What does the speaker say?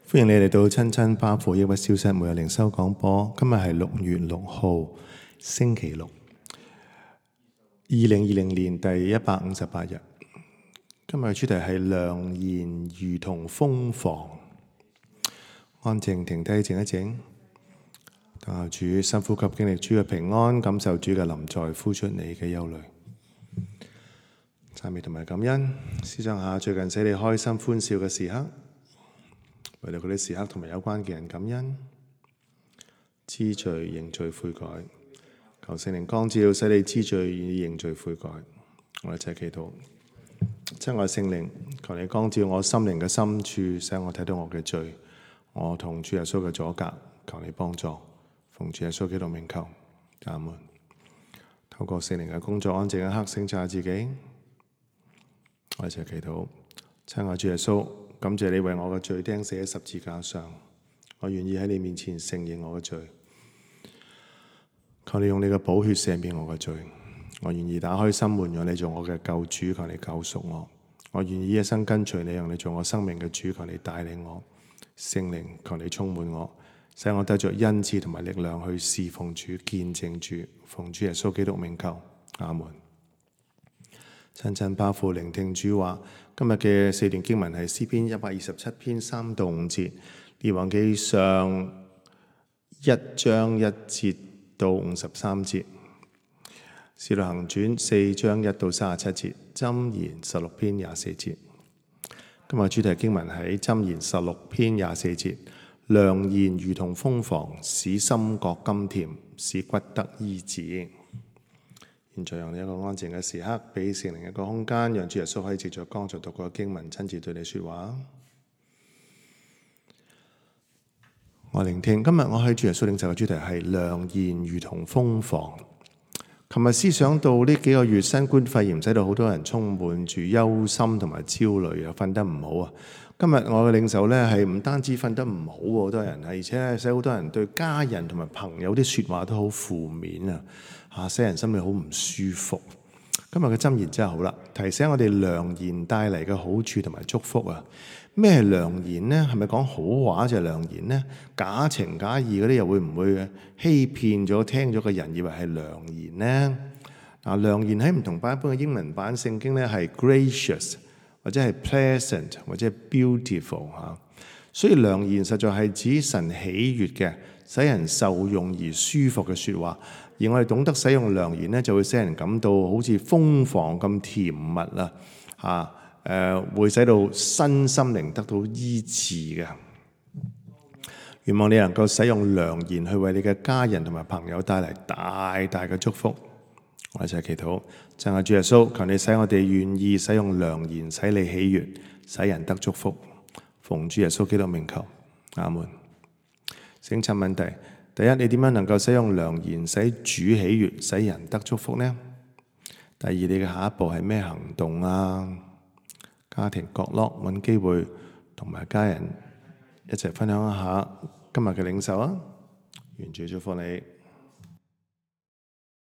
歡迎你嚟到親親巴父抑鬱消失每日靈修廣播。今日係6月6號星期六，2020年第158日。今日嘅主題係良言如同蜂房。安靜停低靜一靜，等候主深呼吸，經歷主嘅平安，感受主嘅臨在，呼出你嘅憂慮。讚美同埋感恩，思想下最近使你開心歡笑嘅時刻，為到嗰啲時刻同埋有關嘅人感恩，知罪認罪悔改，求聖靈光照，使你知罪願意認罪悔改。我哋一齊祈禱。親愛聖靈，求你光照我心靈嘅深處，使我睇到我嘅罪，我同主耶穌嘅阻隔，求你幫助。奉主耶穌基督名求，阿門。透過聖靈嘅工作，安靜一刻，省察自己。我哋一齊祈禱。親愛主耶穌，感謝你為我嘅罪釘死喺十字架上，我願意喺你面前承認我嘅罪。求你用你嘅寶血赦免我嘅罪，我願意打開心門，讓你做我嘅救主，求你救贖我。我願意一生跟隨你，讓你做我生命嘅主，求你帶領我。聖靈，求你充滿我，使我得着恩賜同埋力量去侍奉主、見證主。奉主耶穌基督名求，阿門。親親巴父聆聽主話。今日嘅4段經文係詩篇127篇3到5節，列王記上1章1節到53節，使徒行傳4章1到37節，箴言16篇24節。今日主題經文喺箴言16篇24節，良言如同蜂房，使心覺甘甜，使骨得醫治。現在用一個安靜嘅時刻，俾聖靈一個空間，讓主耶穌可以藉着剛才讀過嘅經文親自對你說話。我聆聽。今日我喺主耶穌領受嘅主題係良言如同蜂房。琴日思想到呢幾個月新冠肺炎使到好多人充滿住憂心同埋焦慮，又瞓得唔好啊。今日我嘅領受呢係唔單止瞓得唔好，好多人而且使好多人對家人同埋朋友啲說話都好負面啊，使人心裏好唔舒服。今日嘅箴言真係好啦，提醒我哋良言帶嚟嘅好處同埋祝福啊。咩係良言呢？係咪講好話就係良言呢？假情假意嗰啲又會唔會欺騙咗聽咗嘅人，以為係良言呢？良言喺唔同版本嘅英文版聖經呢係 gracious 或者係 pleasant 或者係 beautiful 嚇。所以良言實在係指神喜悅嘅，使人受用而舒服嘅説話。而我哋懂得使用良言呢，就會使人感到好似蜂房咁甜蜜會使到身心靈得到醫治嘅。願望你能夠使用良言去為你嘅家人同埋朋友帶嚟大大嘅祝福。我一齊祈禱，讚美主耶穌，求你使我哋願意使用良言，使你喜悅，使人得祝福。奉主耶穌基督名求，阿門。省察問題：第一，你點樣能夠使用良言使主喜悅，使人得祝福呢？第二，你嘅下一步係咩行動啊？家庭角落揾機會同埋家人一齊分享一下今日嘅領受啊！願主祝福你。